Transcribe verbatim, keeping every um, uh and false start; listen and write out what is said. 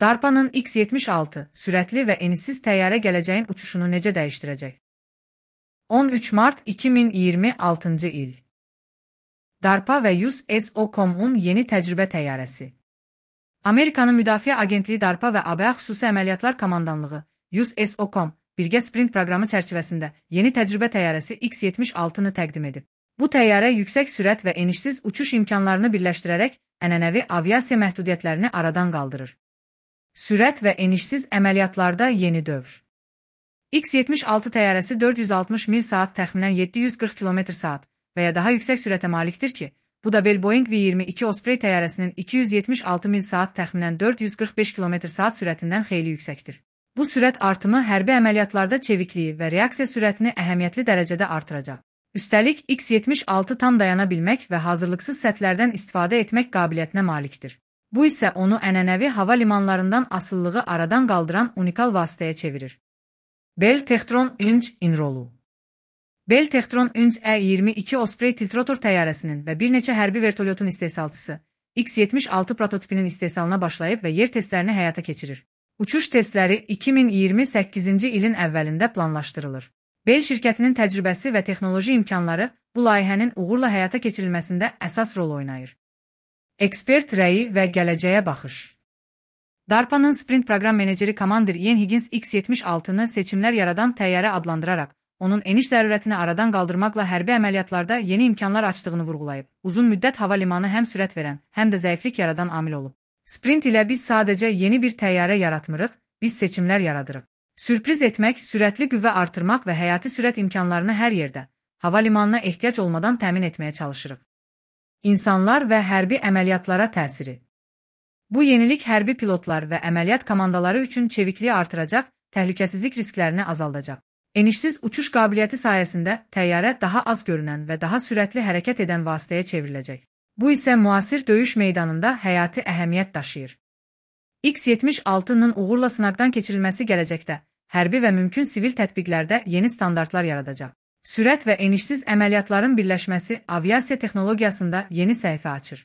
DARPA'nın X yetmiş altı sürətli və enişsiz təyyarə gələcəyin uçuşunu necə dəyişdirəcək? on üç mart iki min iyirmi altıncı il. DARPA və U S O C O M-un yeni təcrübə təyyarəsi. Amerikanın Müdafiə Agentliyi DARPA və A B A Xüsusi Əməliyyatlar Komandanlığı U S O C O M birgə sprint proqramı çərçivəsində yeni təcrübə təyyarəsi X yetmiş altını təqdim edib. Bu təyyarə yüksək sürət və enişsiz uçuş imkanlarını birləşdirərək ənənəvi aviasiya məhdudiyyətlərini aradan qaldırır. Sürət və enişsiz əməliyyatlarda yeni dövr. X yetmiş altı təyyarəsi dörd yüz altmış mil saat təxminən yeddi yüz qırx kilometr saat və ya daha yüksək sürətə malikdir ki, bu da Bell Boeing V iyirmi iki Osprey təyyarəsinin iki yüz yetmiş altı mil saat təxminən dörd yüz qırx beş kilometr saat sürətindən xeyli yüksəkdir. Bu sürət artımı hərbi əməliyyatlarda çevikliyi və reaksiya sürətini əhəmiyyətli dərəcədə artıracaq. Üstəlik, X yetmiş altı tam dayana bilmək və hazırlıqsız sətlərdən istifadə etmək qabiliyyətinə malikdir. Bu isə onu ənənəvi hava limanlarından asılılığı aradan qaldıran unikal vasitəyə çevirir. Bell Textron üç İnrolu. Bell Textron üç E iyirmi iki Osprey tiltrotor təyyarəsinin və bir neçə hərbi vertolyotun istehsalçısı X yetmiş altı prototipinin istehsalına başlayıb və yer testlərini həyata keçirir. Uçuş testləri iki min iyirmi səkkizinci ilin əvvəlində planlaşdırılır. Bell şirkətinin təcrübəsi və texnoloji imkanları bu layihənin uğurla həyata keçirilməsində əsas rol oynayır. Ekspert rəyi və gələcəyə baxış. DARPA'nın sprint proqram meneceri Komandir Ian Higgins X yetmiş altını seçimlər yaradan təyyarə adlandıraraq, onun eniş zərurətini aradan qaldırmaqla hərbi əməliyyatlarda yeni imkanlar açdığını vurğulayıb. Uzun müddət hava limanı həm sürət verən, həm də zəiflik yaradan amil olub. Sprint ilə biz sadəcə yeni bir təyyarə yaratmırıq, biz seçimlər yaradırıq. Sürpriz etmək, sürətli qüvvə artırmaq və həyati sürət imkanlarını hər yerdə, hava limanına ehtiyac olmadan təmin etməyə çalışırıq. İnsanlar və hərbi əməliyyatlara təsiri. Bu yenilik hərbi pilotlar və əməliyyat komandaları üçün çevikliyi artıracaq, təhlükəsizlik risklərini azaldacaq. Enişsiz uçuş qabiliyyəti sayəsində təyyarə daha az görünən və daha sürətli hərəkət edən vasitəyə çevriləcək. Bu isə müasir döyüş meydanında həyati əhəmiyyət daşıyır. X yetmiş altının uğurla sınaqdan keçirilməsi gələcəkdə hərbi və mümkün sivil tətbiqlərdə yeni standartlar yaradacaq. Sürət və enişsiz əməliyyatların birləşməsi aviasiya texnologiyasında yeni səhifə açır.